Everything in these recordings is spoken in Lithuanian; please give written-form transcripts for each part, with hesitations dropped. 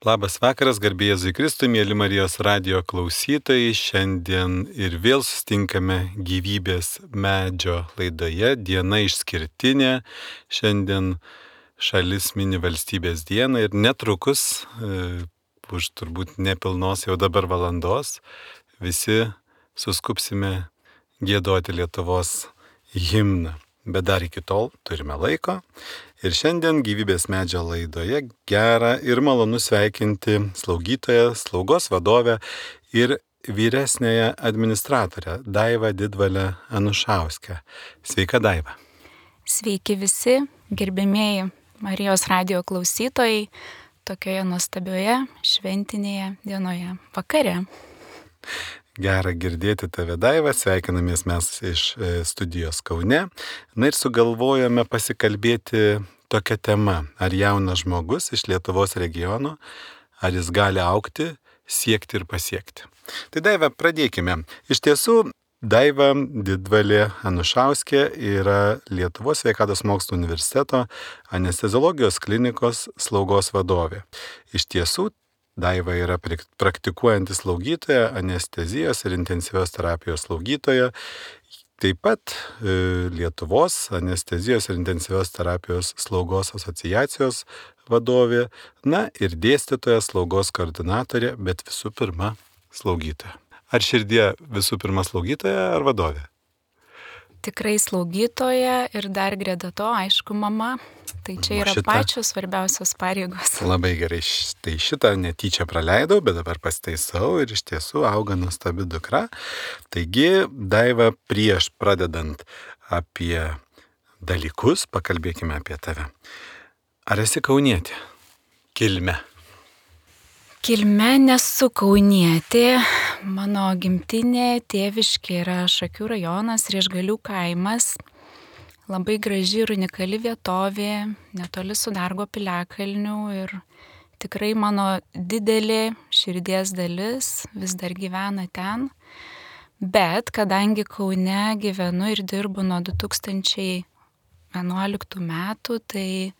Labas vakaras, garbė Jėzui Kristui, mėly Marijos radijo klausytojai. Šiandien ir vėl sustinkame gyvybės medžio laidoje. Diena išskirtinė. Šiandien šalis mini valstybės dieną ir netrukus, už turbūt nepilnos jau dabar valandos, visi suskupsime giedoti Lietuvos himną. Bet dar iki tol turime laiko. Ir šiandien gyvybės medžio laidoje gera ir malonu sveikinti slaugytoją, slaugos vadovę ir vyresnėją administratorę Daivą Didvalę Anušauskę. Sveika, Daiva. Sveiki visi, gerbėmieji Marijos radijo klausytojai, tokioje nuostabioje šventinėje dienoje vakare. Gera girdėti tave, Daiva, sveikinamės mes iš studijos Kaune. Na ir sugalvojome pasikalbėti tokią temą, ar jaunas žmogus iš Lietuvos regiono, ar jis gali augti, siekti ir pasiekti. Tai Daiva, pradėkime. Iš tiesų, Daiva Didvalė Anušauskė yra Lietuvos sveikatos mokslų universiteto anesteziologijos klinikos slaugos vadovė. Iš tiesų, Daiva yra praktikuojanti slaugytoja, anestezijos ir intensyvios terapijos slaugytoja, taip pat Lietuvos anestezijos ir intensyvios terapijos slaugos asociacijos vadovė, na ir dėstytoja, slaugos koordinatorė, bet visų pirma slaugytoja. Ar širdie visų pirma slaugytoja ar vadovė? Tikrai slaugytoja ir dar greta to, aišku, mama. Tai čia yra pačios svarbiausios pareigos. Labai gerai, tai šitą netyčia praleidau, bet dabar pasitaisau ir iš tiesų auga nuostabi dukra. Taigi, Daiva, prieš pradedant apie dalykus, pakalbėkime apie tave. Ar esi kaunietė? Kilme. Kilme nesu kaunietė. Mano gimtinė tėviškė yra Šakių rajonas, Riešgalių kaimas. Labai graži ir unikali vietovė, netoli Sudargo piliakalnių ir tikrai mano didelė širdies dalis vis dar gyvena ten. Bet kadangi Kaune gyvenu ir dirbu nuo 2011 metų, tai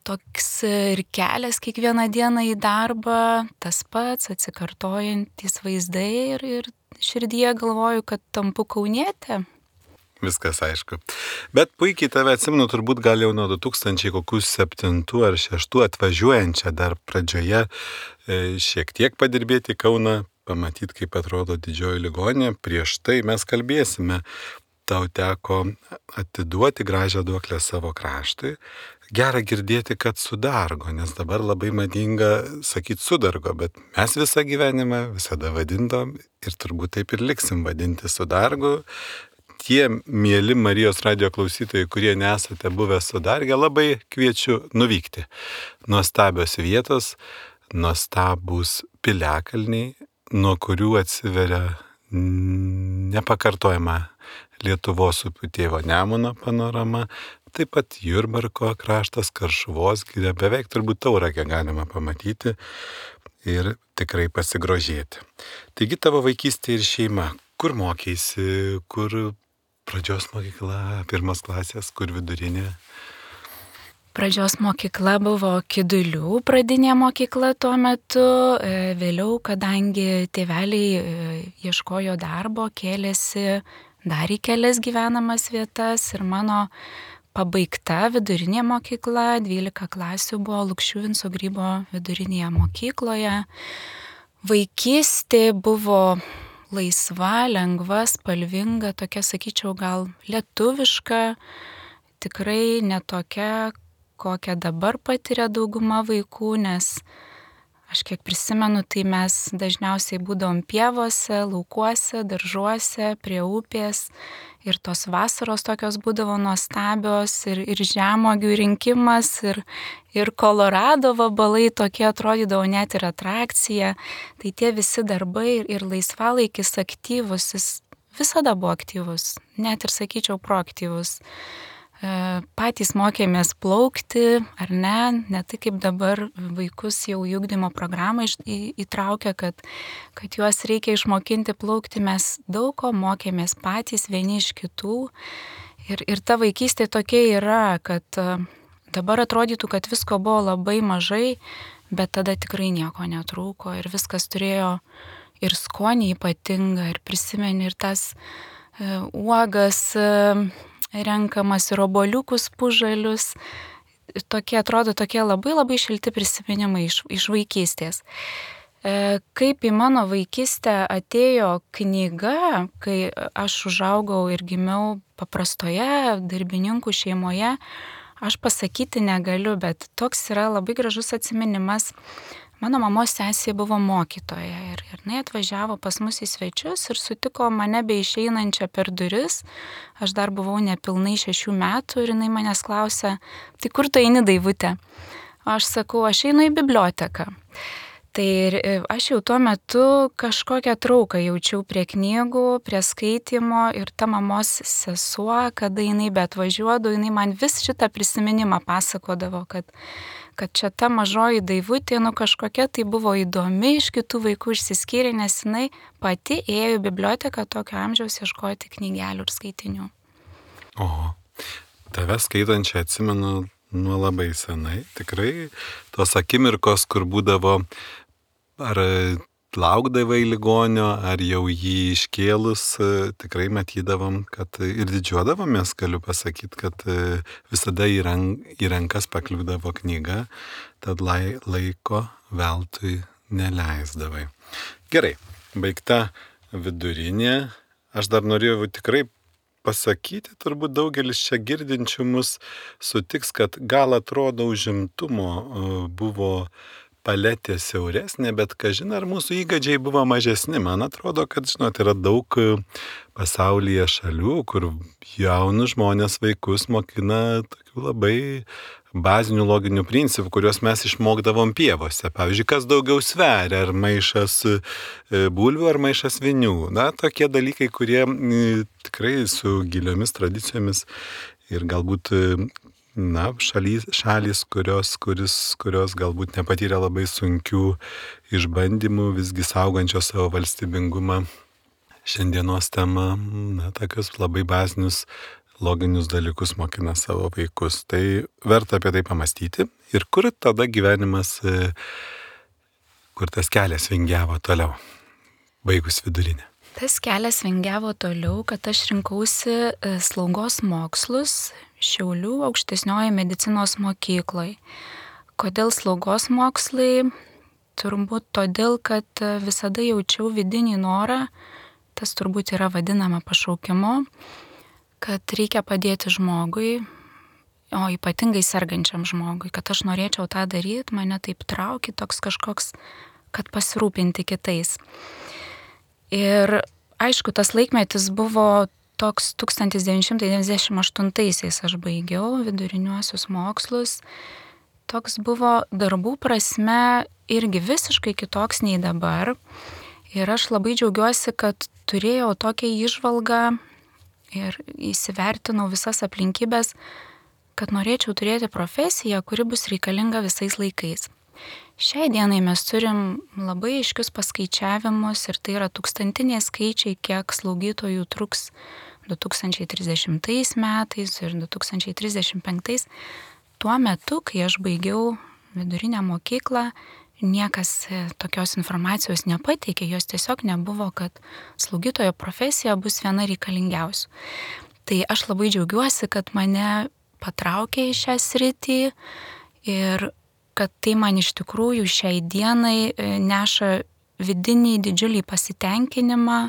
toks ir kelias kiekvieną dieną į darbą, tas pats atsikartojantys vaizdai ir širdyje galvoju, kad tampu kaunietė. Viskas aišku. Bet puikiai tave atsimenu turbūt gal jau nuo 2007 ar 2006 atvažiuojančią dar pradžioje šiek tiek padirbėti Kauną, pamatyti, kaip atrodo didžioji ligoninė. Prieš tai mes kalbėsime. Tau teko atiduoti gražią duoklę savo kraštui. Gera girdėti, kad Sudargo, nes dabar labai madinga sakyti Sudargo, bet mes visą gyvenimą visada vadintom ir turbūt taip ir liksim vadinti Sudargu. Tie mieli Marijos radijo klausytojai, kurie nesate buvę Sudarge, labai kviečiu nuvykti. Nuostabios vietos, nuostabūs piliakalniai, nuo kurių atsiveria nepakartojama Lietuvos upių tėvo Nemuno panorama, taip pat Jurbarko kraštas, Karšuvos giria, beveik turbūt Tauragę galima pamatyti ir tikrai pasigrožėti. Taigi tavo vaikystė ir šeima, kur mokeisi, kur pradžios mokykla, pirmos klasės, kur vidurinė? Pradžios mokykla buvo Kidulių pradinė mokykla tuo metu. Vėliau, kadangi tėveliai ieškojo darbo, kėlėsi dar į kelias gyvenamas vietas ir mano pabaigta vidurinė mokykla, 12 klasių buvo Lukšių Vinco Grybo vidurinėje mokykloje. Vaikystė buvo laisva, lengva, spalvinga, tokia, sakyčiau, gal lietuviška, tikrai netokia, kokią dabar patiria dauguma vaikų, nes aš kiek prisimenu, tai mes dažniausiai būdavom pievose, laukuose, daržuose, prie upės ir tos vasaros tokios būdavo nuostabios ir žemuogių rinkimas ir Kolorado vabalai tokie atrodydavo net ir atrakcija. Tai tie visi darbai ir laisvalaikis aktyvus, jis visada buvo aktyvus, net ir sakyčiau proaktyvus. Patys mokėmės plaukti, ar ne tai kaip dabar vaikus jau į ugdymo programą įtraukia, kad juos reikia išmokinti plaukti, mes daug ko mokėmės patys vieni iš kitų ir ta vaikystė tokia yra, kad dabar atrodytų, kad visko buvo labai mažai, bet tada tikrai nieko netrūko ir viskas turėjo ir skonį ypatingą, ir prisimeni ir tas uogas renkamas, ir obuoliukus pužalius. Atrodo tokie labai labai šilti prisiminimai iš vaikystės. Kaip į mano vaikystę atėjo knyga, kai aš užaugau ir gimiau paprastoje darbininkų šeimoje, aš pasakyti negaliu, bet toks yra labai gražus atsiminimas. Mano mamos sesė buvo mokytoja ir jinai atvažiavo pas mus į svečius ir sutiko mane beišeinančią per duris. Aš dar buvau nepilnai 6 metų ir jinai manęs klausė, tai kur tu eini, Daivutė? Aš sakau, aš einu į biblioteką. Tai aš jau tuo metu kažkokią trauką jaučiau prie knygų, prie skaitimo ir ta mamos sesuo, kada jinai atvažiuodavo, jinai man vis šitą prisiminimą pasakodavo, kad čia ta mažoji Daivutė, kažkokia tai buvo įdomi, iš kitų vaikų išsiskyrė, nes jinai pati ėjo į biblioteką tokio amžiaus ieškoti knygelių ir skaitinių. O, tave skaitančią atsimenu nuo labai senai. Tikrai tos akimirkos, kur būdavo ar laukdavai ligonio, ar jau jį iškėlus, tikrai matydavom, kad ir didžiuodavomės, galiu pasakyti, kad visada į rankas pakliūdavo knyga, tad laiko veltui neleisdavai. Gerai, baigta vidurinė. Aš dar norėjau tikrai pasakyti, turbūt daugelis čia girdinčių mus sutiks, kad gal atrodo užimtumo buvo paletė siauresnė, bet kažin ar mūsų įgūdžiai buvo mažesni. Man atrodo, kad, yra daug pasaulyje šalių, kur jaunus žmonės, vaikus mokina tokių labai bazinių loginių principų, kuriuos mes išmokdavom pievose. Pavyzdžiui, kas daugiau sveria, ar maišas bulvių, ar maišas vinių. Na, tokie dalykai, kurie tikrai su giliomis tradicijomis ir galbūt šalys, kurios galbūt nepatyrė labai sunkių išbandymų, visgi saugančios savo valstybingumą. Šiandienos tema, tokius labai bazinius loginius dalykus mokina savo vaikus. Tai verta apie tai pamastyti. Ir kur tada gyvenimas, kur tas kelias vingiavo toliau, baigus vidurinę? Tas kelias vingiavo toliau, kad aš rinkausi slaugos mokslus Šiaulių aukštesnioji medicinos mokykloje. Kodėl slaugos mokslai? Turbūt todėl, kad visada jaučiau vidinį norą, tas turbūt yra vadinama pašaukimu, kad reikia padėti žmogui, o ypatingai sergančiam žmogui, kad aš norėčiau tą daryti, mane taip traukia toks kažkoks, kad pasirūpinti kitais. Ir aišku, tas laikmetis buvo toks 1998-aisiais aš baigiau viduriniuosius mokslus. Toks buvo darbų prasme irgi visiškai kitoks nei dabar. Ir aš labai džiaugiuosi, kad turėjau tokią įžvalgą ir įsivertinau visas aplinkybės, kad norėčiau turėti profesiją, kuri bus reikalinga visais laikais. Šiai dienai mes turim labai aiškius paskaičiavimus ir tai yra tūkstantiniai skaičiai, kiek slaugytojų truks 2030 metais ir 2035. Tuo metu, kai aš baigiau vidurinę mokyklą, niekas tokios informacijos nepateikė, jos tiesiog nebuvo, kad slaugytojo profesija bus viena reikalingiausių. Tai aš labai džiaugiuosi, kad mane patraukė į šią sritį ir kad tai man iš tikrųjų šiai dienai neša vidinį didžiulį pasitenkinimą,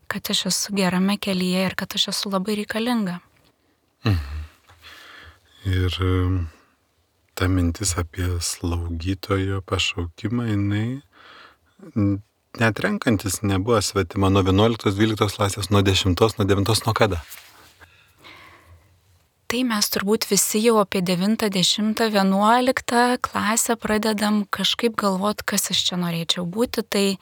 kad aš esu gerame kelyje ir kad aš esu labai reikalinga. Ir ta mintis apie slaugytojo pašaukimą, jinai net renkantis nebuvo svetima nuo 11-12 klasės, nuo 10, nuo 9, nuo kada? Tai mes turbūt visi jau apie 9, 10, 11 klasę pradedam kažkaip galvoti, kas aš čia norėčiau būti. Tai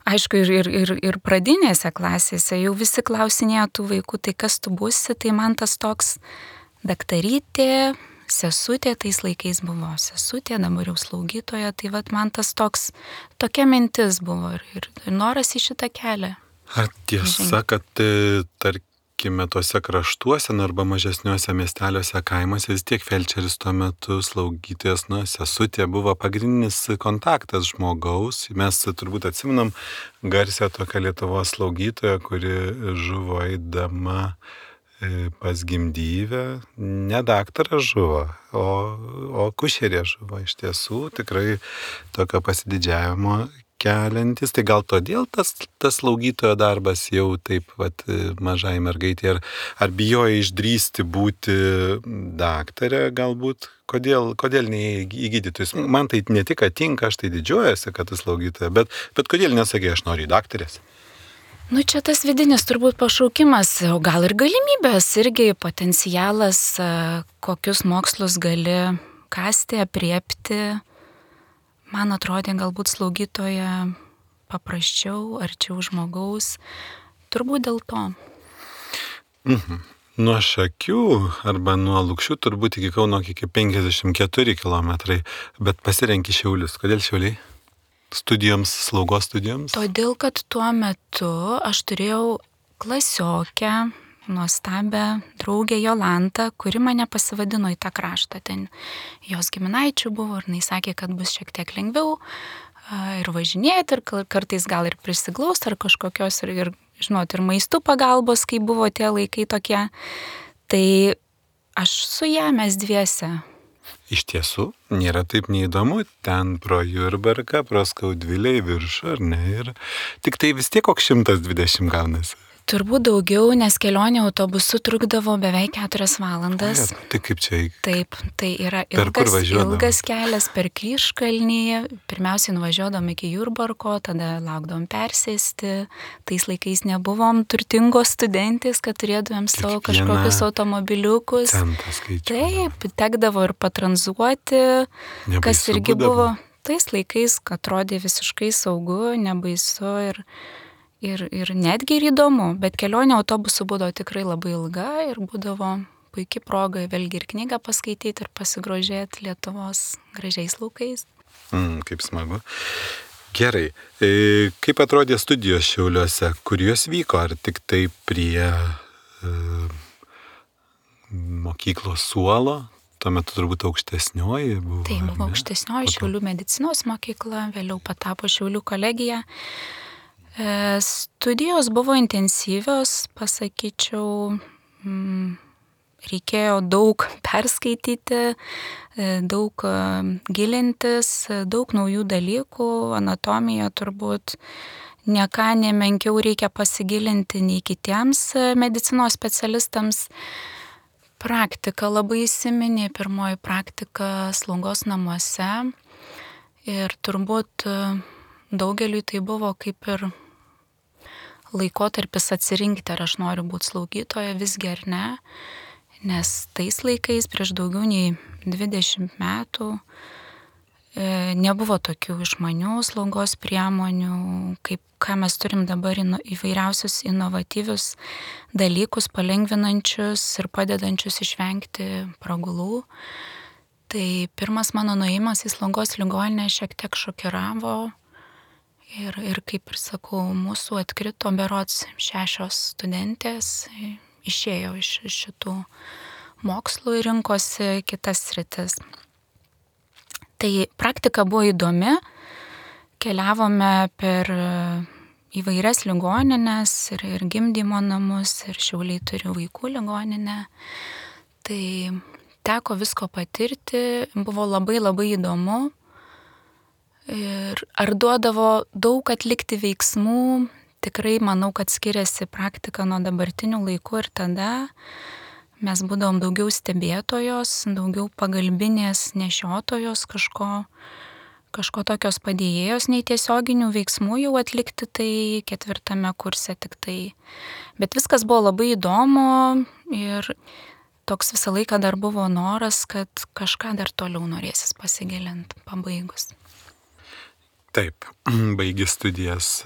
aišku ir pradinėse klasėse jau visi klausinėjo tų vaikų, tai kas tu būsi, tai man tas toks daktarytė, sesutė, tais laikais buvo sesutė, dabar jau slaugytoja, tai vat man tas tokia mintis buvo ir noras į šitą kelią. Ar tiesa, kad sakykime, tose kraštuose arba mažesniuose miesteliuose, kaimuose, vis tiek felčeris tuo metu, slaugytojas, sesutė buvo pagrindinis kontaktas žmogaus. Mes turbūt atsiminam garsią tokią Lietuvos slaugytoją, kuri žuvo eidama pas gimdyvę. Ne daktaras žuvo, o kušerė žuvo. Iš tiesų tikrai tokio pasididžiavimo keliantis. Tai gal todėl tas slaugytojo darbas jau taip mažai mergaitė, ar bijojo išdrįsti būti daktarė galbūt? Kodėl ne į gydytojus? Man tai ne tik tinka, aš tai didžiuojasi, kad tu slaugytoja, bet kodėl nesakė, aš noriu į daktarės? Čia tas vidinis turbūt pašaukimas, o gal ir galimybės, irgi potencialas, kokius mokslus gali kasti, apriepti. Man atrodė galbūt slaugytoja paprasčiau, arčiau žmogaus, turbūt dėl to. Nuo Šakių arba nuo Lukšių turbūt iki Kauno iki 54 kilometrai, bet pasirenki Šiaulius. Kodėl Šiauliai? Slaugos studijoms? Todėl, kad tuo metu aš turėjau klasiokę, nuostabę draugę Jolantą, kuri mane pasivadino į tą kraštą. Ten jos giminaičių buvo ir jinai sakė, kad bus šiek tiek lengviau ir važinėti, ir kartais gal ir prisiglaus, ar kažkokios ir maistų pagalbos, kai buvo tie laikai tokie. Tai aš su ją mes dviese. Iš tiesų, nėra taip neįdomu, ten pro Jurbarką, pro Skaudvilę į viršų, ar ne? Ir tik tai vis tiek koks 120 gaunasi. Turbūt daugiau, nes kelionė autobusu trukdavo beveik 4 valandas. Tai kaip čia? Taip, tai yra ilgas kelias per Kryžkalnį. Pirmiausiai nuvažiuodom iki Jurbarko, tada laukdom persėsti. Tais laikais nebuvom turtingos studentės, kad turėdavėm savo kažkokius automobiliukus. Taip, tekdavo ir patranzuoti, kas irgi buvo tais laikais, kad atrodė visiškai saugu, nebaisu ir netgi ir įdomu, bet kelionė autobusu būdavo tikrai labai ilga ir būdavo puikiai proga vėlgi ir knygą paskaityti ir pasigrožėti Lietuvos gražiais laukais. Kaip smagu. Gerai, kaip atrodė studijos Šiauliuose, kur jos vyko, ar tik tai prie mokyklos suolo? Tuo metu turbūt aukštesnioji buvo. Tai buvo aukštesnioji Šiaulių medicinos mokykla, vėliau patapo Šiaulių kolegija. Studijos buvo intensyvios, pasakyčiau, reikėjo daug perskaityti, daug gilintis, daug naujų dalykų, anatomija turbūt ne ką nemenkiau reikia pasigilinti nei kitiems medicinos specialistams. Praktika labai įsiminė, pirmoji praktika slaugos namuose ir turbūt daugeliui tai buvo kaip ir laikotarpis atsirinkti, ar aš noriu būti slaugytoja, visgi ar ne, nes tais laikais prieš daugiau nei 20 metų nebuvo tokių išmanių slaugos priemonių, kaip ką mes turim dabar įvairiausius inovatyvius dalykus, palengvinančius ir padedančius išvengti pragulų. Tai pirmas mano nuėjimas į slaugos ligoninę šiek tiek šokiravo. Ir kaip ir sakau, mūsų atkrito berods 6 studentės, išėjo iš šitų mokslų ir rinkosi kitas sritis. Tai praktika buvo įdomi, keliavome per įvairias ligoninės ir gimdymo namus, ir Šiauliai turi vaikų ligoninę. Tai teko visko patirti, buvo labai labai įdomu. Ir ar duodavo daug atlikti veiksmų, tikrai manau, kad skiriasi praktika nuo dabartinių laikų ir tada mes būdavom daugiau stebėtojos, daugiau pagalbinės nešiotojos, kažko tokios padėjėjos, nei tiesioginių veiksmų jau atlikti, tai 4 kurse tik tai. Bet viskas buvo labai įdomu ir toks visą laiką dar buvo noras, kad kažką dar toliau norėsis pasigilinti pabaigus. Taip, baigi studijas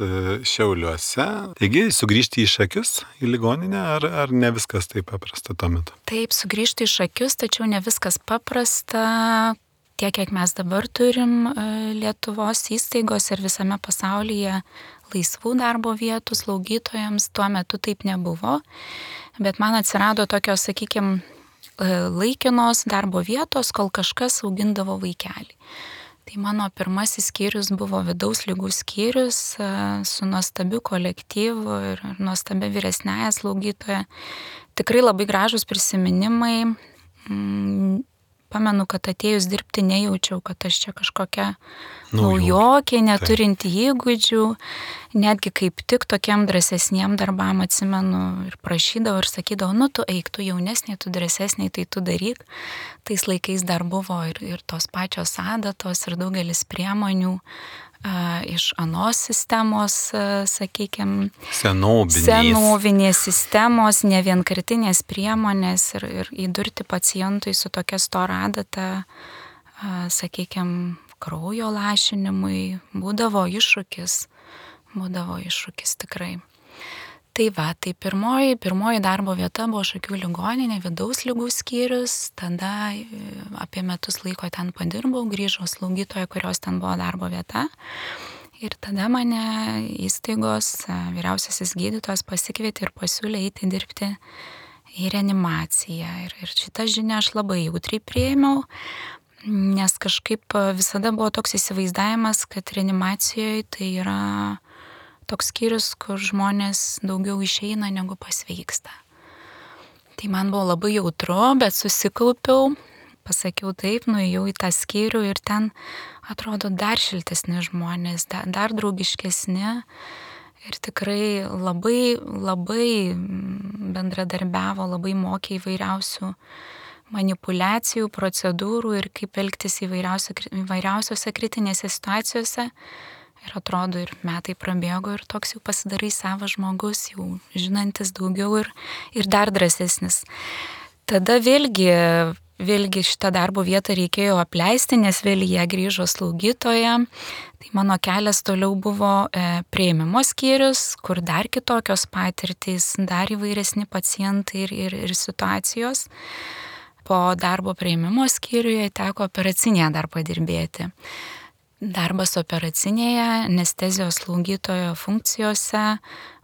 Šiauliuose. Taigi, sugrįžti į Šakius, į ligoninę, ar ne viskas taip paprasta tuo metu? Taip, sugrįžti į Šakius, tačiau ne viskas paprasta. tiek, kiek mes dabar turim Lietuvos įstaigos ir visame pasaulyje laisvų darbo vietų slaugytojams, tuo metu taip nebuvo. Bet man atsirado tokios, sakykime, laikinos darbo vietos, kol kažkas augindavo vaikelį. Tai mano pirmasis skyrius buvo vidaus ligų skyrius su nuostabiu kolektyvu ir nuostabia vyresnėja slaugytoja. Tikrai labai gražus prisiminimai. Pamenu, kad atėjus dirbti nejaučiau, kad aš čia kažkokia naujokė, neturinti įgūdžių. Netgi kaip tik tokiam drąsesniem darbam atsimenu ir prašydavau ir sakydavau, tu eik, tu jaunesnė, tu drąsesnė, tai tu daryk. Tais laikais dar buvo ir tos pačios adatos ir daugelis priemonių iš anos sistemos, sakykime, senovinės sistemos, ne vienkartinės priemonės ir įdurti pacientui su tokia stora adata, sakykime, kraujo lašinimui, būdavo iššūkis tikrai. Tai pirmoji darbo vieta buvo Šakių ligoninė, vidaus ligų skyrius, tada apie metus laiko ten padirbau, grįžau slaugytoja, kurios ten buvo darbo vieta. Ir tada mane įstaigos vyriausiasis gydytojas pasikvietė ir pasiūlė eiti dirbti į reanimaciją. Ir šitą žinią aš labai jautriai priėmiau, nes kažkaip visada buvo toks įsivaizdavimas, kad reanimacijoje tai yra toks skyrius, kur žmonės daugiau išeina negu pasveiksta. Tai man buvo labai jautru, bet susikaupiau, pasakiau taip, nuėjau į tą skyrių ir ten atrodo dar šiltesni žmonės, dar draugiškesni ir tikrai labai bendradarbiavo, labai mokė įvairiausių manipulacijų, procedūrų ir kaip elgtis įvairiausiose kritinėse situacijose. Ir atrodo, ir metai prabėgo ir toks jau pasidarai savas žmogus, jau žinantis daugiau ir dar drąsesnis. Tada vėlgi šitą darbo vietą reikėjo apleisti, nes vėl į ją grįžo slaugytoja. Tai mano kelias toliau buvo priėmimo skyrius, kur dar kitokios patirtys, dar įvairesni pacientai ir situacijos. Po darbo priėmimo skyriuje teko operacinėje dar padirbėti. Darbas operacinėje, anestezijos slaugytojo funkcijose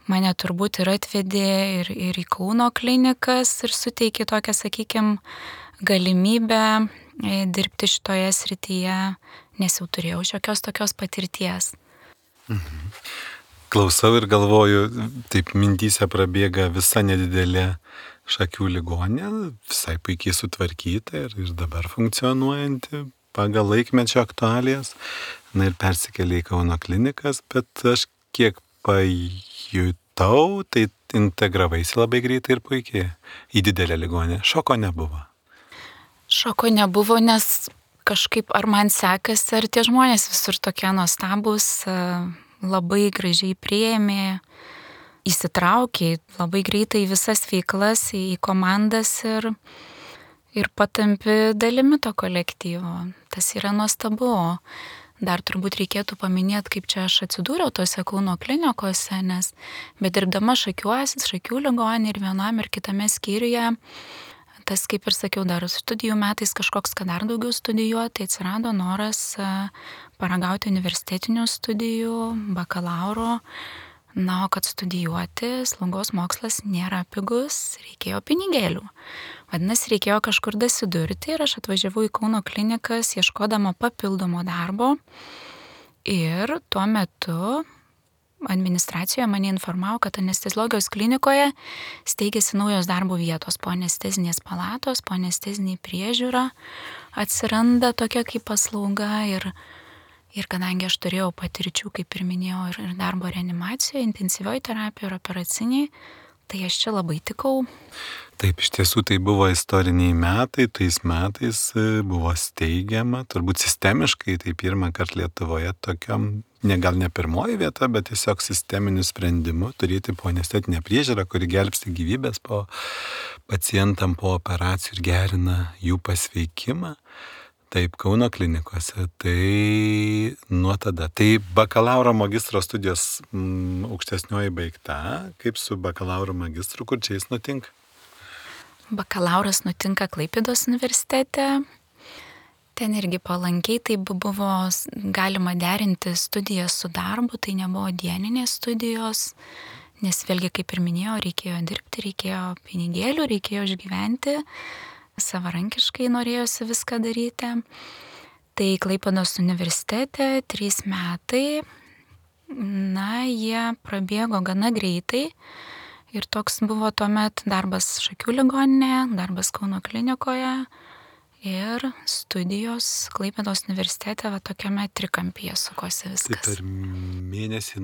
mane turbūt ir atvedė ir į Kauno klinikas ir suteikė tokią, sakykime, galimybę dirbti šitoje srityje, nes jau turėjau šiokios tokios patirties. Klausau ir galvoju, taip mintyse prabėga visa nedidelė Šakių ligoninė, visai puikiai sutvarkyta ir dabar funkcionuojanti pagal laikmečio aktualijas, ir persikėlė į Kauno klinikas, bet aš kiek pajutau, tai integravaisi labai greitai ir puikiai į didelę ligoninę. Šoko nebuvo. Šoko nebuvo, nes kažkaip ar man sekasi, ar tie žmonės visur tokie nuostabus, labai gražiai priėmė, įsitraukė labai greitai į visas veiklas, į komandas ir patampi dalimi to kolektyvo. Tas yra nuostabu. Dar turbūt reikėtų paminėti, kaip čia aš atsidūriau tose Kauno klinikose, nes bedirbdama Šakių ligoninėje ir vienam ir kitame skyriuje, tas, kaip ir sakiau, dar studijų metais kažkoks, kad dar daugiau studijuoti, tai atsirado noras paragauti universitetinių studijų, bakalauro. Na, o kad studijuoti slaugos mokslas nėra pigus, reikėjo pinigėlių. Vadinasi, reikėjo kažkur dasidurti ir aš atvažiavau į Kauno klinikas ieškodama papildomo darbo. Ir tuo metu administracijoje mane informavo, kad anesteziologijos klinikoje steigėsi naujos darbo vietos po anestezinės palatos, po anestezinė priežiūra atsiranda tokia kaip paslauga ir kadangi aš turėjau patirčių, kaip ir minėjau, ir darbo reanimacijoje, intensyvioji terapija ir operaciniai, tai aš čia labai tikau. Taip, iš tiesų tai buvo istoriniai metai, tais metais buvo steigiama, turbūt sistemiškai, tai pirmą kartą Lietuvoje tokiam, gal ne pirmoji vieta, bet tiesiog sisteminiu sprendimu turėti po anestetinę priežiūrą, kuri gelbsti gyvybės po pacientam po operacijų ir gerina jų pasveikimą. Taip, Kauno klinikose, tai nuo tada. Tai bakalauro magistro studijos aukštesnioji baigta, kaip su bakalauro magistru, kur čia jis nutinka? Bakalauras nutinka Klaipėdos universitete Ten irgi palankiai, tai buvo galima derinti studijas su darbu, tai nebuvo dieninės studijos, nes vėlgi, kaip ir minėjau, reikėjo dirbti, reikėjo pinigėlių, reikėjo išgyventi, savarankiškai norėjosi viską daryti. Tai Klaipėdos universitete 3 metai, jie prabėgo gana greitai ir toks buvo tuomet darbas Šakių ligoninėje, darbas Kauno klinikoje ir studijos Klaipėdos universitete tokiame trikampyje sukosi viskas. Tai per mėnesį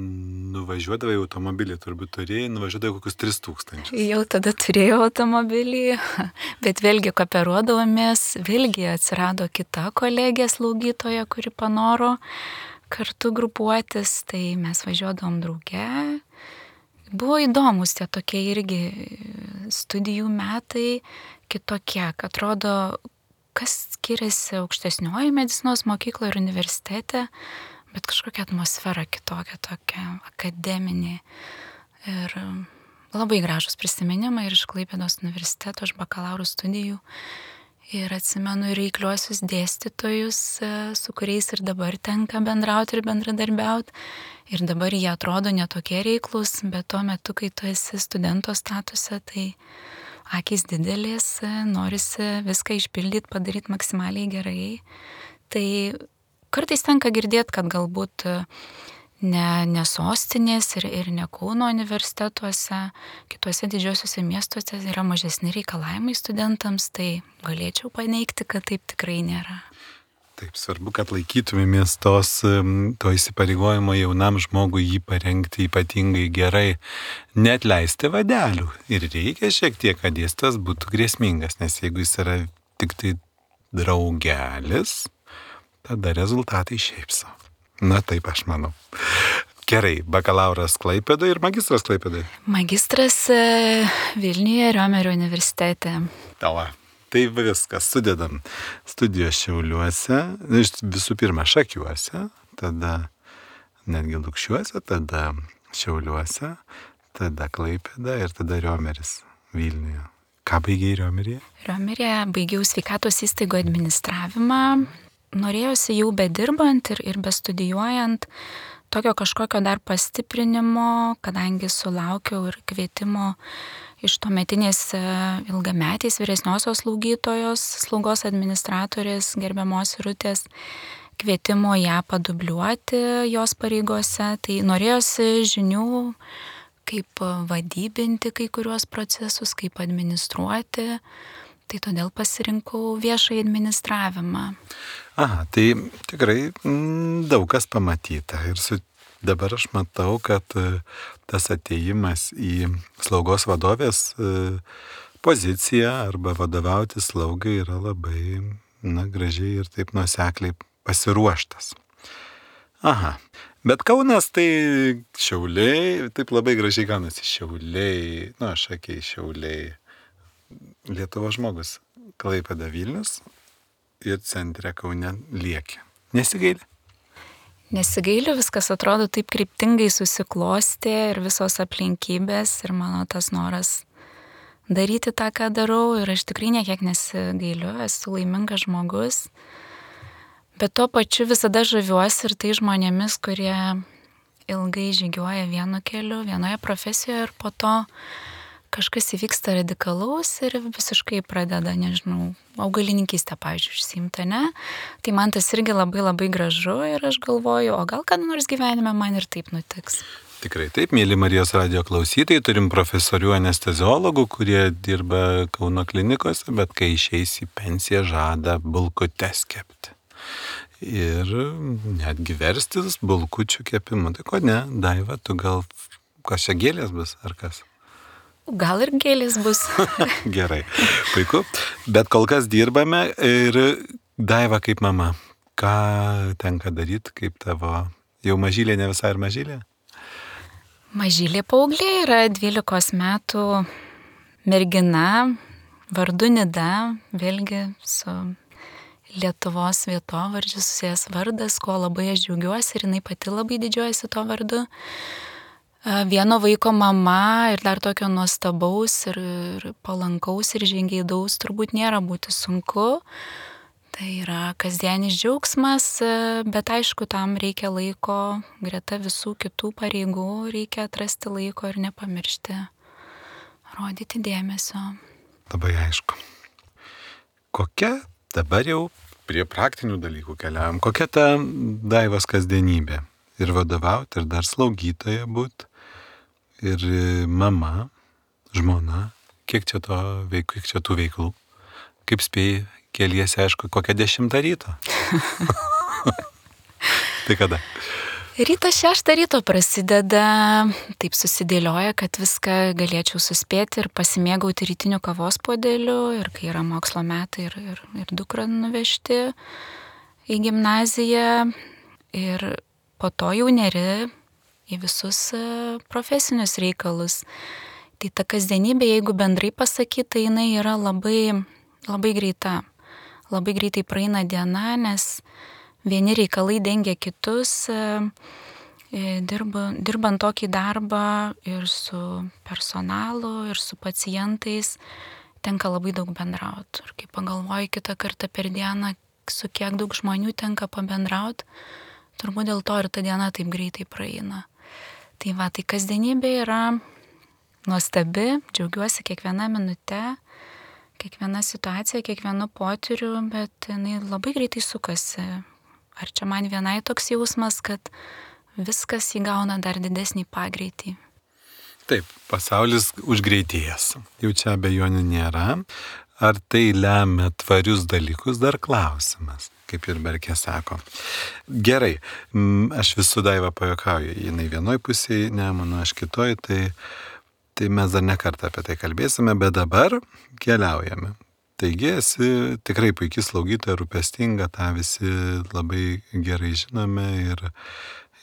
nuvažiuodavai automobilį, turbūt turėjai, nuvažiuodavai kokius 3000. Jau tada turėjau automobilį, bet vėlgi kooperuodavomės, vėlgi atsirado kita kolegė slaugytoja, kuri panoro kartu grupuotis, tai mes važiuodavom drauge. Buvo įdomus tie tokie irgi studijų metai kitokie, kad atrodo, kas skiriasi aukštesnioji medicinos mokykla ir universitete, bet kažkokia atmosfera kitokia, tokia akademinė. Ir labai gražus prisiminimai ir iš Klaipėdos universiteto, iš bakalauro studijų. Ir atsimenu ir reikliuosius dėstytojus, su kuriais ir dabar tenka bendrauti ir bendradarbiauti. Ir dabar jie atrodo netokie reiklus, bet tuo metu, kai tu esi studento statuse, tai akys didelės, norisi viską išpildyti, padaryti maksimaliai gerai. Tai kartais tenka girdėti, kad galbūt ne sostinės ir ne Kauno universitetuose, kituose didžiosiuose miestuose yra mažesni reikalavimai studentams, tai galėčiau paneigti, kad taip tikrai nėra. Taip, svarbu, kad laikytumėmės to įsipareigojimo jaunam žmogui jį parengti ypatingai gerai, net leisti vadelių. Ir reikia šiek tiek, kad dėstytojas būtų grėsmingas, nes jeigu jis yra tik tai draugelis, tada rezultatai šiaip savo. Na taip, aš manau. Gerai, bakalauras Klaipėdoje ir magistras Klaipėdoje. Magistras Vilniuje, Riomerio universitete. Tava. Tai viskas, sudedam studijos Šiauliuose, visų pirma Šakiuose, tada netgi Lukšiuose, tada Šiauliuose, tada Klaipėda ir tada Riomeris Vilniuje. Ką baigei Riomeryje? Riomeryje baigiau sveikatos įstaigų administravimą. Norėjosi jau bedirbant ir bestudijuojant tokio kažkokio dar pastiprinimo, kadangi sulaukiau ir kvietimo iš tuometinės ilgametės vyresniosios slaugytojos, slaugos administratorės gerbiamos Irutės, kvietimo ją padubliuoti jos pareigose. Tai norėjosi žinių, kaip vadybinti kai kuriuos procesus, kaip administruoti. Tai todėl pasirinkau viešąjį administravimą. Aha, tai tikrai daug kas pamatyta. Ir dabar aš matau, kad tas atėjimas į slaugos vadovės poziciją arba vadovauti slaugai yra labai gražiai ir taip nuosekliai pasiruoštas. Aha, bet Kaunas tai Šiauliai, taip labai gražiai gaunasi Šiauliai, aš sakau Šiauliai. Lietuvos žmogus, Klaipėda Vilnius ir centre Kaune lieki. Nesigaili? Nesigailiu, viskas atrodo taip kryptingai susiklostė ir visos aplinkybės ir mano tas noras daryti tą, ką darau ir aš tikrai niekiek nesigailiu, esu laimingas žmogus. Bet tuo pačiu visada žaviuosi ir tai žmonėmis, kurie ilgai žygiuoja vienu keliu, vienoje profesijoje ir po to kažkas įvyksta radikalaus ir visiškai pradeda, augalininkystę, pavyzdžiui, užsiimti, ne? Tai man tas irgi labai labai gražu ir aš galvoju, o gal kada nors gyvenime man ir taip nutiks. Tikrai taip, mėly Marijos radijo klausytojai, turim profesorių anesteziologų, kurie dirba Kauno klinikose, bet kai išeis į pensiją žada bulkutes kepti. Ir netgi verstis bulkučių kepimu. Tai ko ne, Daiva, tu gal kas čia gėlės bus ar kas? Gal ir gėlės bus. Gerai, puiku. Bet kol kas dirbame ir Daiva kaip mama, ką tenka daryti, kaip tavo jau mažylė, ne visai ir mažylė? Mažylė paauglė yra 12 metų mergina, vardu Nida, vėlgi su Lietuvos vietovardžiu susijęs vardas, ko labai aš džiaugiuosi ir jinai pati labai didžiuojasi to vardu. Vieno vaiko mama ir dar tokio nuostabaus ir palankaus ir žingeidaus turbūt nėra būti sunku. Tai yra kasdienis džiaugsmas, bet aišku, tam reikia laiko, greta visų kitų pareigų reikia atrasti laiko ir nepamiršti, rodyti dėmesio. Labai aišku. Kokia dabar jau prie praktinių dalykų keliaujam, kokia ta Daivos kasdienybė? Ir vadovauti, ir dar slaugytoja būt, ir mama, žmona, kiek čia tų veiklų? Kaip spėjai, keliesi, aišku, kokią 10 ryto? Tai kada? Rytas 6 ryto prasideda, taip susidėlioja, kad viską galėčiau suspėti ir pasimėgauti rytiniu kavos puodeliu, ir kai yra mokslo metai, ir dukrą nuvežti į gimnaziją, ir po to jau neri į visus profesinius reikalus. Tai ta kasdienybė, jeigu bendrai pasakyti, tai jinai yra labai greita. Labai greitai praeina diena, nes vieni reikalai dengia kitus, dirbant tokį darbą ir su personalu, ir su pacientais, tenka labai daug bendrauti. Ir kai pagalvoju kitą kartą per dieną, su kiek daug žmonių tenka pabendrauti, turbūt dėl to ir ta diena taip greitai praeina. Tai va, tai kasdienybė yra nuostabi, džiaugiuosi kiekvieną minutę, kiekviena situacija, kiekvienu potyriu, bet jinai labai greitai sukasi. Ar čia man vienai toks jausmas, kad viskas įgauna dar didesnį pagreitį? Taip, pasaulis užgreitėjęs. Jau čia abejonių nėra. Ar tai lemia tvarius dalykus, dar klausimas, kaip ir Berkė sako. Gerai, aš vis su Daiva pajuokauju, jinai vienoj pusėje, Nemuno, aš kitoj, tai mes dar ne kartą apie tai kalbėsime, bet dabar keliaujame. Taigi esi tikrai puikiai slaugytoja, rūpestinga, tą visi labai gerai žinome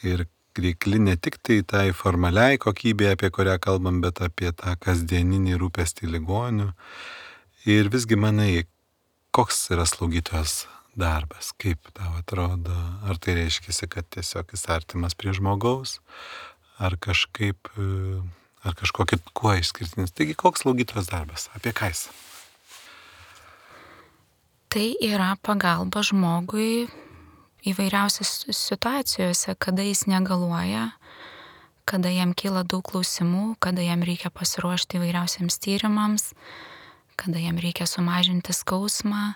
ir reikli ne tik tai formaliai kokybė, apie kurią kalbam, bet apie tą kasdieninį rūpestį ligonių. Ir visgi manai, koks yra slaugytojos darbas, kaip tau atrodo, ar tai reiškia, kad tiesiog jis artimas prie žmogaus, ar kažkokį kuo išskirtinis. Taigi, koks slaugytojos darbas? Apie ką jis? Tai yra pagalba žmogui įvairiausiose situacijose, kada jis negaluoja, kada jam kyla daug klausimų, kada jam reikia pasiruošti įvairiausiams tyrimams, kada jam reikia sumažinti skausmą.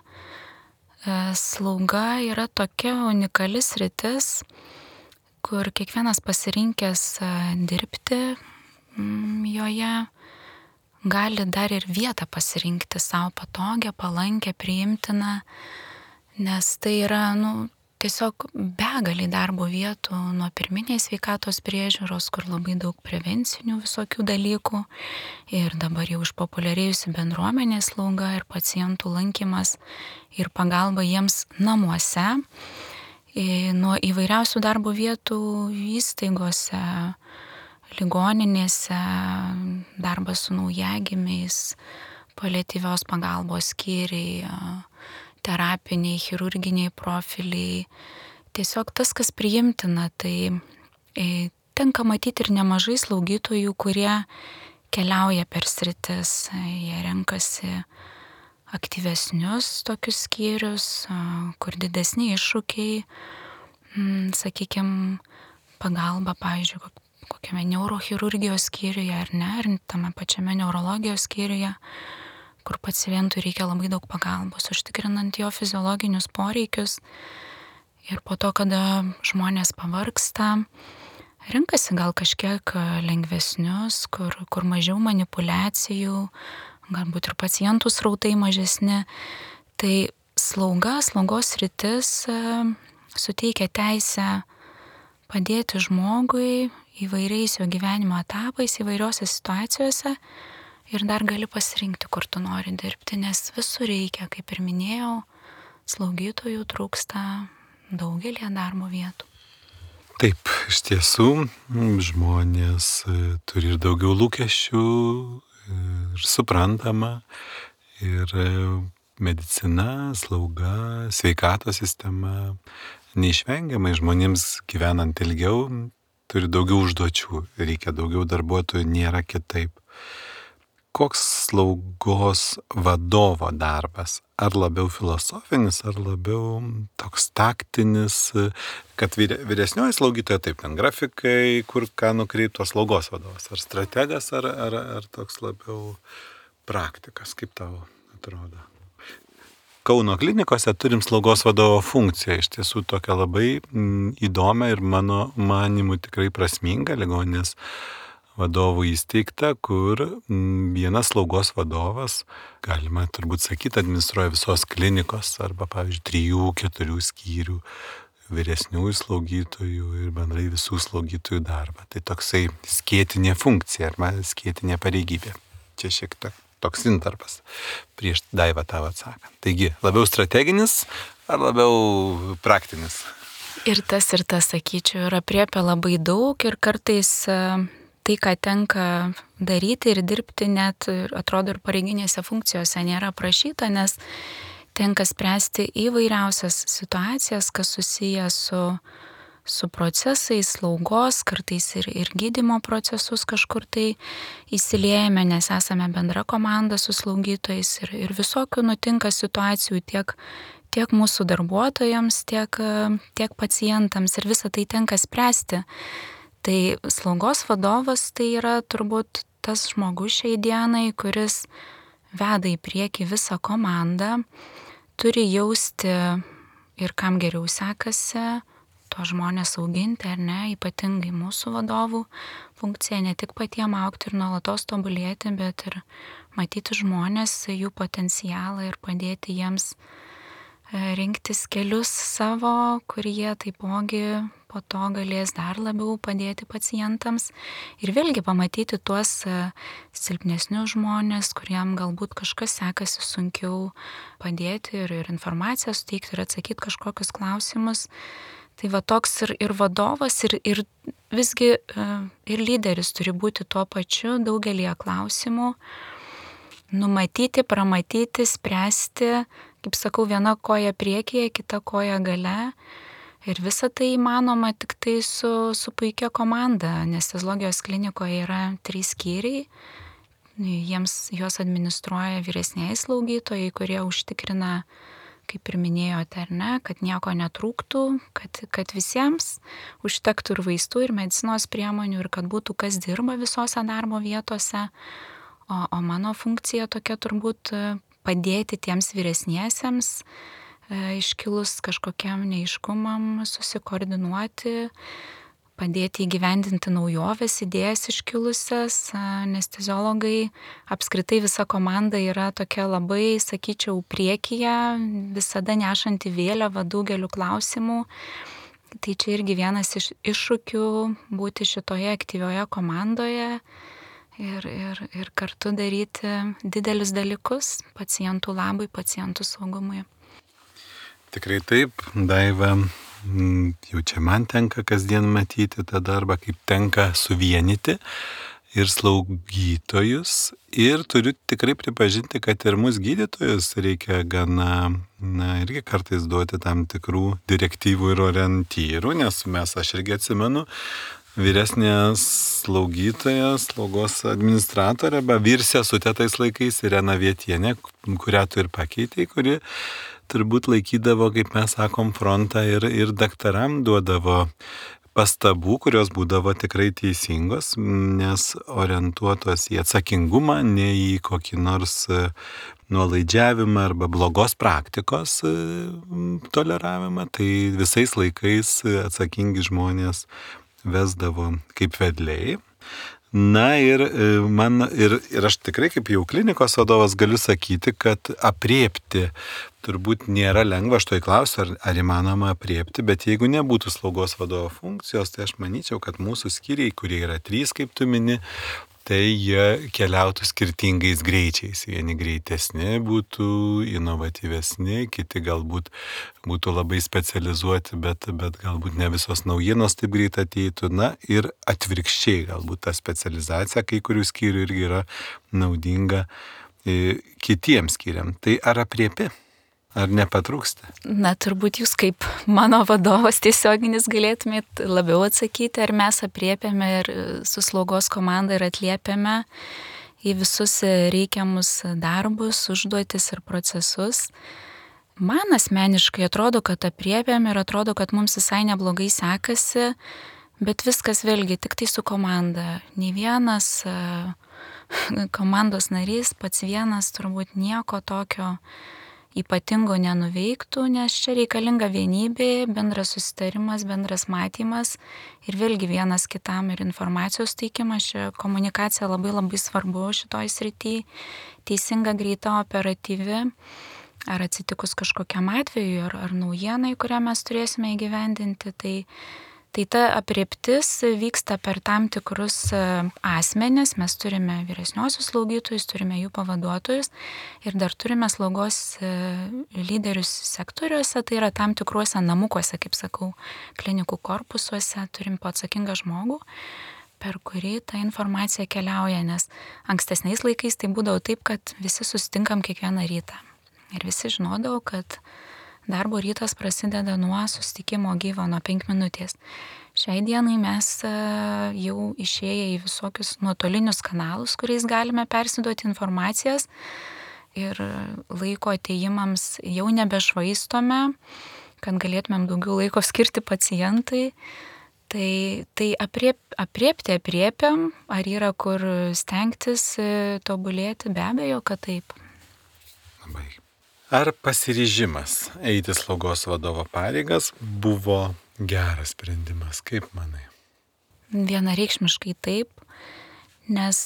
Slauga yra tokia unikali sritis, kur kiekvienas pasirinkęs dirbti joje gali dar ir vietą pasirinkti savo patogią, palankę, priimtiną, nes tai yra tiesiog begaliai darbo vietų nuo pirminės sveikatos priežiūros, kur labai daug prevencinių visokių dalykų, ir dabar jau išpopuliarėjusi bendruomenės slauga ir pacientų lankymas ir pagalba jiems namuose, nuo įvairiausių darbo vietų įstaigose, ligoninėse, darbas su naujagimiais, paliatyvios pagalbos skyriai, terapiniai, chirurginiai profiliai. Tiesiog tas, kas priimtina, tai tenka matyti ir nemažai slaugytojų, kurie keliauja per sritis, jie renkasi aktyvesnius tokius skyrius, kur didesni iššūkiai, sakykime, pagalba, pavyzdžiui, kokiame neurochirurgijos skyriuje ar ne, ar tame pačiame neurologijos skyriuje, kur pacientui reikia labai daug pagalbos, užtikrinant jo fiziologinius poreikius. Ir po to, kada žmonės pavargsta, renkasi gal kažkiek lengvesnius, kur mažiau manipulacijų, galbūt ir pacientų srautai mažesni. Tai slaugos sritis suteikia teisę padėti žmogui įvairiais jo gyvenimo etapais, įvairiose situacijose, ir dar gali pasirinkti, kur tu nori dirbti, nes visur reikia, kaip ir minėjau, slaugytojų trūksta daugelį darbo vietų. Taip, iš tiesų, žmonės turi ir daugiau lūkesčių, ir suprantama, ir medicina, slauga, sveikatos sistema neišvengiamai žmonėms gyvenant ilgiau turi daugiau užduočių, reikia daugiau darbuotojų, nėra kitaip. koks slaugos vadovo darbas? Ar labiau filosofinis, ar labiau toks taktinis, kad vyresnioji slaugytoja, taip, ten grafikai, kur ką nukreiptos slaugos vadovas, ar strategas, ar toks labiau praktikas, kaip tau atrodo? Kauno klinikose turim slaugos vadovo funkciją, iš tiesų tokią labai įdomią ir mano manimu tikrai prasmingą ligoninės vadovų įsteigta, kur vienas slaugos vadovas, galima turbūt sakyti, administruoja visos klinikos arba, pavyzdžiui, 3-4 skyrių vyresniųjų slaugytojų ir bendrai visų slaugytojų darbą. Tai toksai skėtinė funkcija arba skėtinė pareigybė. Čia šiek tiek toks intarpas prieš Daivą tavo atsakant. Taigi, labiau strateginis ar labiau praktinis? Ir tas, sakyčiau, ir apriepia labai daug ir kartais tai, ką tenka daryti ir dirbti, net atrodo ir pareiginėse funkcijose nėra aprašyta, nes tenka spręsti įvairiausias situacijas, kas susiję su procesais, slaugos, kartais ir gydymo procesus kažkur tai įsiliejame, nes esame bendra komanda su slaugytojais ir visokių nutinka situacijų tiek mūsų darbuotojams, tiek pacientams ir visą tai tenka spręsti. Tai slaugos vadovas tai yra turbūt tas žmogus šiai dienai, kuris veda į priekį visą komandą, turi jausti ir kam geriau sekasi, to žmonės auginti ar ne, ypatingai mūsų vadovų funkcija, ne tik patiem augti ir nuolatos tobulėti, bet ir matyti žmonės, jų potencialą ir padėti jiems rinktis kelius savo, kur jie taipogi po to galės dar labiau padėti pacientams ir vėlgi pamatyti tuos silpnesnius žmonės, kuriem galbūt kažkas sekasi sunkiau padėti ir informaciją suteikti ir atsakyti kažkokius klausimus. Tai va toks ir vadovas, ir visgi ir lyderis turi būti tuo pačiu daugelį klausimų, numatyti, pramatyti, spręsti, kaip sakau, viena koja priekyje, kita koja gale. Ir visa tai įmanoma tik tai su puikia komanda. Anesteziologijos klinikoje yra 3 skyriai, juos administruoja vyresniai slaugytojai, kurie užtikrina, kaip ir minėjote, ar ne, kad nieko netrūktų, kad visiems užtektų ir vaistų, ir medicinos priemonių, ir kad būtų kas dirba visose darbo vietose. O mano funkcija tokia turbūt padėti tiems vyresniesiems, iškilus kažkokiam neaiškumam, susikoordinuoti, padėti įgyvendinti naujoves, idėjas iškilusias. Anesteziologai, apskritai visa komanda yra tokia labai, sakyčiau, priekyje, visada nešanti vėliavą daugeliu klausimų. Tai čia irgi vienas iš iššūkių būti šitoje aktyvioje komandoje ir kartu daryti didelius dalykus pacientų labui, pacientų saugumui. Tikrai taip, Daiva. Jau čia man tenka kasdien matyti tą darbą, kaip tenka suvienyti ir slaugytojus. Ir turiu tikrai pripažinti, kad ir mūsų gydytojus reikia gana, irgi kartais duoti tam tikrų direktyvų ir orientyrų, nes aš irgi atsimenu, vyresnė slaugytoja, slaugos administratorė, vyr sesutė tais laikais, Irena Vietienė, kurią tu ir pakeitei, kuri turbūt laikydavo, kaip mes sakom, frontą ir daktaram duodavo pastabų, kurios būdavo tikrai teisingos, nes orientuotos į atsakingumą, ne į kokį nors nuolaidžiavimą arba blogos praktikos toleravimą. Tai visais laikais atsakingi žmonės vesdavo kaip vedliai. Na ir aš tikrai kaip jau klinikos vadovas galiu sakyti, kad apriepti turbūt nėra lengva, aš to įklausiu, ar įmanoma apriepti, bet jeigu nebūtų slaugos vadovo funkcijos, tai aš manyčiau, kad mūsų skyriai, kurie yra 3, kaip tu mini, tai jie keliautų skirtingais greičiais. Vieni greitesni būtų, inovatyvesni, kiti galbūt būtų labai specializuoti, bet galbūt ne visos naujienos taip greit ateitų. Na ir atvirkščiai, galbūt ta specializacija kai kurių skyrių irgi yra naudinga kitiems skyriam. Tai ar apriepi? Ar nepatrūksta? Na, turbūt jūs kaip mano vadovas tiesioginis galėtumėt labiau atsakyti, ar mes apriepiame ir su slaugos komanda ir atliepiame į visus reikiamus darbus, užduotis ir procesus. Man asmeniškai atrodo, kad apriepiam ir atrodo, kad mums visai neblogai sekasi, bet viskas vėlgi tik tai su komanda. Nei vienas komandos narys pats vienas turbūt nieko tokio ypatingo nenuveiktų, nes čia reikalinga vienybė, bendras susitarimas, bendras matymas ir vėlgi vienas kitam ir informacijos teikimas. Čia komunikacija labai labai svarbu šitoj srity, teisinga, greita, operatyvi. Ar atsitikus kažkokiam atveju, ar naujienai, kurią mes turėsime įgyvendinti, tai ta aprėptis vyksta per tam tikrus asmenis. Mes turime vyresniosius slaugytojus, turime jų pavaduotojus ir dar turime slaugos lyderius sektoriuose, tai yra tam tikruose namukuose, kaip sakau, klinikų korpusuose, turim po atsakingą žmogų, per kurį ta informacija keliauja, nes ankstesniais laikais tai būdavo taip, kad visi susitinkam kiekvieną rytą. Ir visi žinodavo, kad darbo rytas prasideda nuo susitikimo gyvo, nuo 5 minutės. Šiai dienai mes jau išėję į visokius nuotolinius kanalus, kuriais galime persiduoti informacijas ir laiko atėjimams jau nebešvaistome, kad galėtumėm daugiau laiko skirti pacientui. Tai apriepiam, ar yra kur stengtis, tobulėti, be abejo, kad taip. Labai. Ar pasiryžimas eiti slaugos vadovo pareigas buvo geras sprendimas, kaip manai? Vienareikšmiškai taip, nes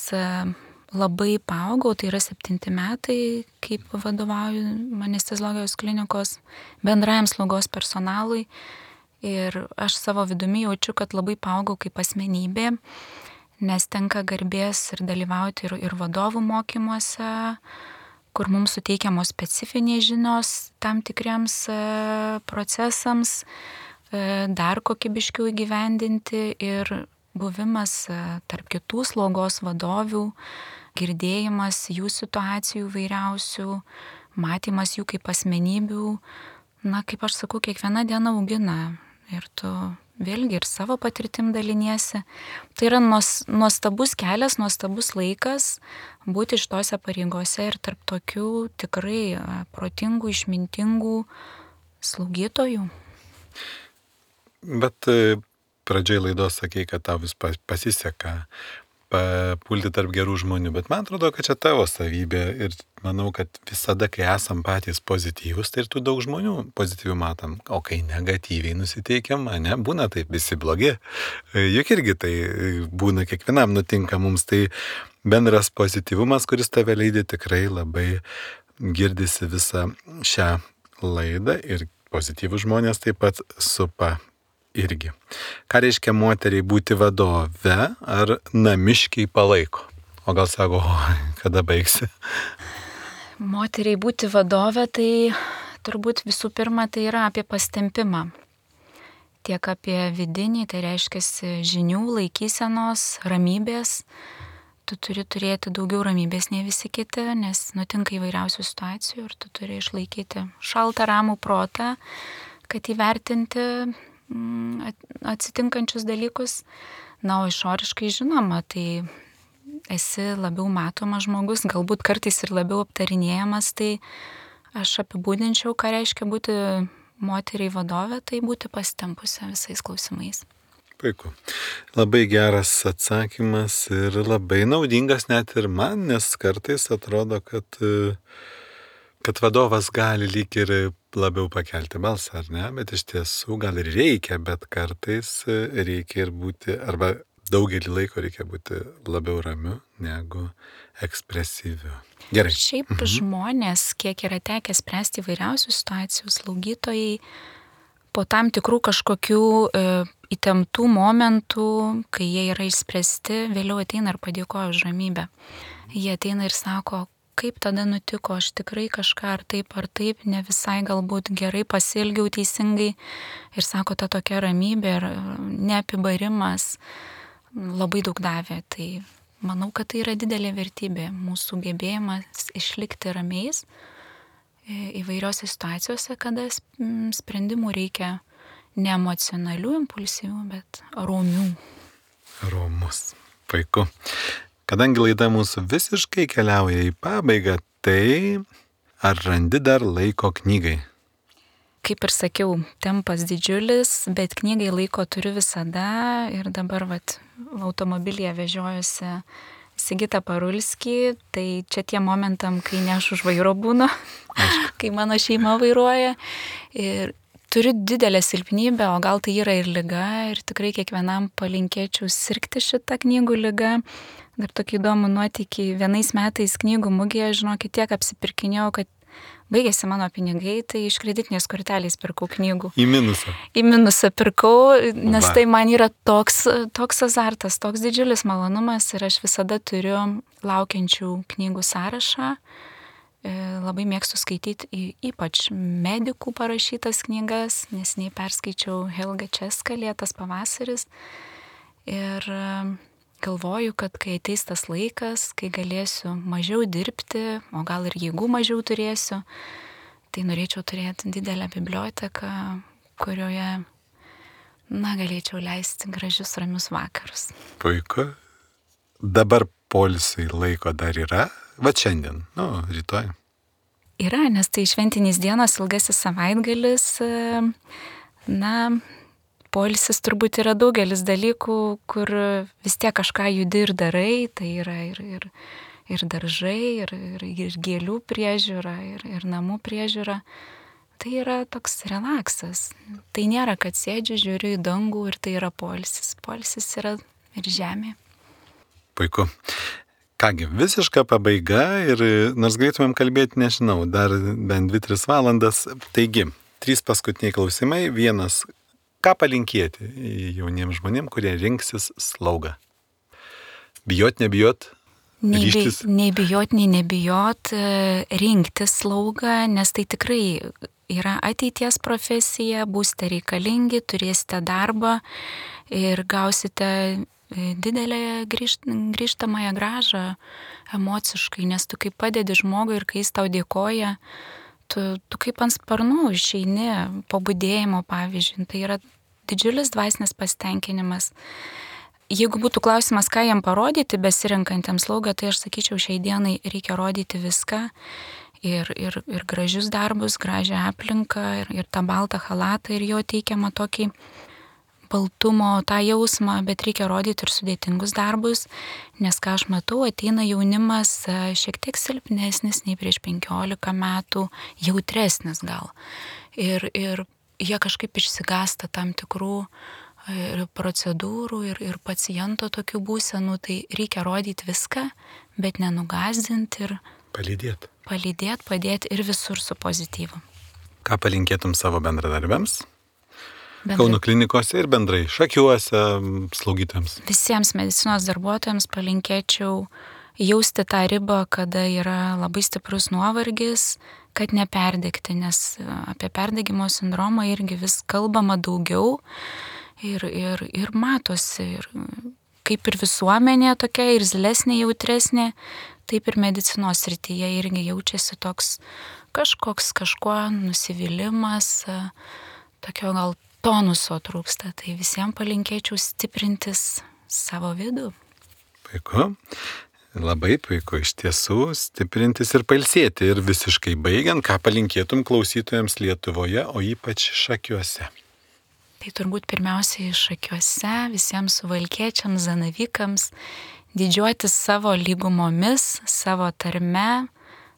labai paaugau, tai yra 7 metai, kaip vadovauju anesteziologijos klinikos bendrajam slaugos personalui ir aš savo vidumi jaučiu, kad labai paaugau kaip asmenybė, nes tenka garbės ir dalyvauti ir vadovų mokymuose, kur mums suteikiamos specifinės žinios tam tikriems procesams, dar kokybiškiau įgyvendinti ir buvimas tarp kitų slaugos vadovių, girdėjimas jų situacijų vairiausių, matymas jų kaip asmenybių, kaip aš sakau, kiekviena diena augina ir tu vėlgi ir savo patirtim daliniesi. Tai yra nuostabus kelias, nuostabus laikas būti šitose pareigose ir tarp tokių tikrai protingų, išmintingų slaugytojų. Bet pradžioj laidos sakei, kad tau vis pasiseka papulti tarp gerų žmonių, bet man atrodo, kad čia tavo savybė ir manau, kad visada, kai esam patys pozityvus, tai ir tų daug žmonių pozityvių matom, o kai negatyviai nusiteikiam, ne, būna taip visi blogi, juk irgi tai būna, kiekvienam nutinka mums, tai bendras pozityvumas, kuris tave leidė, tikrai labai girdisi visą šią laidą ir pozityvus žmonės taip pat supa irgi. Ką reiškia moteriai būti vadove, ar namiškiai palaiko? O gal sako, kada baigsi? Moteriai būti vadove, tai turbūt visų pirma tai yra apie pastempimą. Tiek apie vidinį, tai reiškia žinių, laikysenos, ramybės. Tu turi turėti daugiau ramybės nei visi kiti, nes nutinka įvairiausių situacijų ir tu turi išlaikyti šaltą ramų protą, kad įvertinti atsitinkančius dalykus. O išoriškai žinoma, tai esi labiau matomas žmogus, galbūt kartais ir labiau aptarinėjamas, tai aš apibūdinčiau, ką reiškia būti moteriai vadove, tai būti pasitempusi visais klausimais. Puiku. Labai geras atsakymas ir labai naudingas net ir man, nes kartais atrodo, kad vadovas gali lyg ir labiau pakelti balsą, ar ne, bet iš tiesų gal ir reikia, bet kartais reikia ir būti, arba daugelį laiko reikia būti labiau ramiu negu ekspresyviu. Gerai. Šiaip žmonės, kiek yra tekę spręsti įvairiausių situacijų, slaugytojai, po tam tikrų kažkokių įtemptų momentų, kai jie yra išspręsti, vėliau ateina ir padėkoja už ramybę. Jie ateina ir sako, kaip tada nutiko, aš tikrai kažką ar taip, ne visai galbūt gerai pasielgiau teisingai. Ir sako, ta tokia ramybė ir neapibarimas labai daug davė. Tai manau, kad tai yra didelė vertybė, mūsų gebėjimas išlikti ramiais įvairiose situacijose, kada sprendimų reikia ne emocionalių, impulsyvių, bet romių. Romus. Puiku. Kadangi laida mūsų visiškai keliauja į pabaigą, tai ar randi dar laiko knygai? Kaip ir sakiau, tempas didžiulis, bet knygai laiko turiu visada ir dabar automobilyje vežiojuosi Sigitą Parulskį, tai čia tie momentam, kai ne aš už vairo būnu, kai mano šeima vairuoja. Ir turiu didelę silpnybę, o gal tai yra ir liga, ir tikrai kiekvienam palinkėčiau sirgti šitą knygų ligą. Dar tokį įdomų nuotykį, vienais metais knygų mugėje, žinokit, tiek apsipirkinėjau, kad baigėsi mano pinigai, tai iš kreditinės kortelės pirkau knygų. Į minusą. Į minusą pirkau, nes tai man yra toks azartas, toks didžiulis malonumas ir aš visada turiu laukiančių knygų sąrašą. Labai mėgstu skaityti ypač medikų parašytas knygas, nes nei perskaičiau Helga Česka Lėtas pavasaris. Ir galvoju, kad kai ateis tas laikas, kai galėsiu mažiau dirbti, o gal ir jėgų mažiau turėsiu, tai norėčiau turėti didelę biblioteką, kurioje, galėčiau leisti gražius ramius vakarus. Puiku. Dabar poilsiui laiko dar yra? Va šiandien, rytoj. Yra, nes tai šventinės dienos, ilgasis savaitgalis, poilsis turbūt yra daugelis dalykų, kur vis tiek kažką judi ir darai, tai yra ir daržai, ir gėlių priežiūra, ir namų priežiūra. Tai yra toks relaksas. Tai nėra, kad sėdžiu, žiūriu į dangų ir tai yra poilsis. Poilsis yra ir žemė. Puiku. Kągi, visiška pabaiga ir nors galėtumėm kalbėti, nežinau, dar bent 2-3 valandas. Taigi, 3 paskutiniai klausimai. 1. Ką palinkėti jauniems žmonėms, kurie rinksis slaugą? Bijot, nebijot? Ryžtis? Nei bijot, nei nebijot, rinktis slaugą, nes tai tikrai yra ateities profesija, būsite reikalingi, turėsite darbą ir gausite didelę grįžtamąją grąžą emociškai, nes tu kaip padedi žmogui ir kai jis tau dėkoja, tu kaip ant sparnų išeini po budėjimo, pavyzdžiui, tai yra didžiulis dvasinis pasitenkinimas. Jeigu būtų klausimas, ką jam parodyti besirinkantiems slaugą, tai aš sakyčiau, šiai dienai reikia rodyti viską ir gražius darbus, gražią aplinką ir tą baltą chalatą ir jo teikiamą tokį baltumo, tą jausmą, bet reikia rodyti ir sudėtingus darbus, nes ką aš matau, ateina jaunimas šiek tiek silpnesnis nei prieš 15 metų, jautresnis gal. Ir jie kažkaip išsigąsta tam tikrų procedūrų ir paciento tokių būsenų, tai reikia rodyti viską, bet nenugąsdinti ir palydėti, padėti ir visur su pozityvu. Ką palinkėtum savo bendradarbiams? Kauno klinikose ir bendrai Šakiuose slaugytojams. Visiems medicinos darbuotojams palinkėčiau jausti tą ribą, kada yra labai stiprus nuovargis, kad neperdegti, nes apie perdegimo sindromą irgi vis kalbama daugiau ir matosi. Ir kaip ir visuomenė tokia irzlesnė, jautresnė, taip ir medicinos srityje irgi jaučiasi toks kažkuo nusivylimas, tokio gal tonuso trūksta, tai visiems palinkėčiau stiprintis savo vidų. Puiku, labai puiku, iš tiesų stiprintis ir pailsėti. Ir visiškai baigiant, ką palinkėtum klausytojams Lietuvoje, o ypač Šakiuose? Tai turbūt pirmiausiai Šakiuose, visiems suvalkiečiams, zanavykams, didžiuotis savo lygumomis, savo tarme,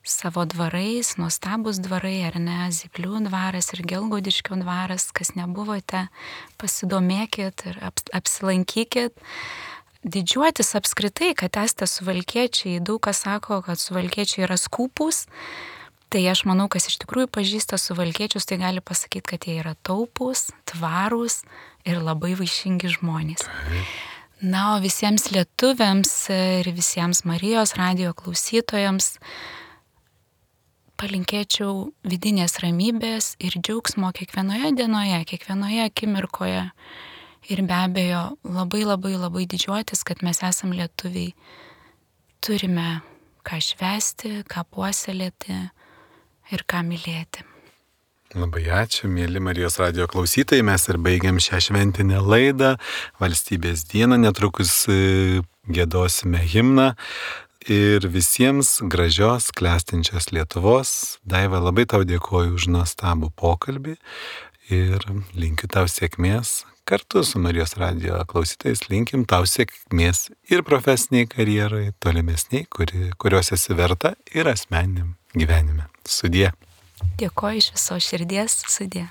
savo dvarais, nuostabus dvarai, ar ne, Zyplių dvaras ir Gelgaudiškio dvaras, kas nebuvote, pasidomėkit ir apsilankykit. Didžiuotis apskritai, kad esate suvalkiečiai, daug kas sako, kad suvalkiečiai yra skūpūs, tai aš manau, kas iš tikrųjų pažįsta suvalkiečius, tai gali pasakyti, kad jie yra taupūs, tvarūs ir labai vaišingi žmonės. Na, o visiems lietuviams ir visiems Marijos radijo klausytojams palinkėčiau vidinės ramybės ir džiaugsmo kiekvienoje dienoje, kiekvienoje akimirkoje. Ir be abejo, labai didžiuotis, kad mes esam lietuviai. Turime ką švęsti, ką puoselėti ir ką mylėti. Labai ačiū, mėly Marijos radijo klausytojai. Mes ir baigiam šią šventinę laidą. Valstybės dieną netrukus gėdosime himną ir visiems gražios, klestinčios Lietuvos. Daiva, labai tau dėkoju už nuostabų pokalbį ir linkiu tau sėkmės. Kartu su Marijos radijo klausytojais linkim tau sėkmės ir profesiniai karjerai, tolimesniai, kurios esi verta, ir asmeniniam gyvenime. Sudie. Dėkoju iš viso širdies, sudie.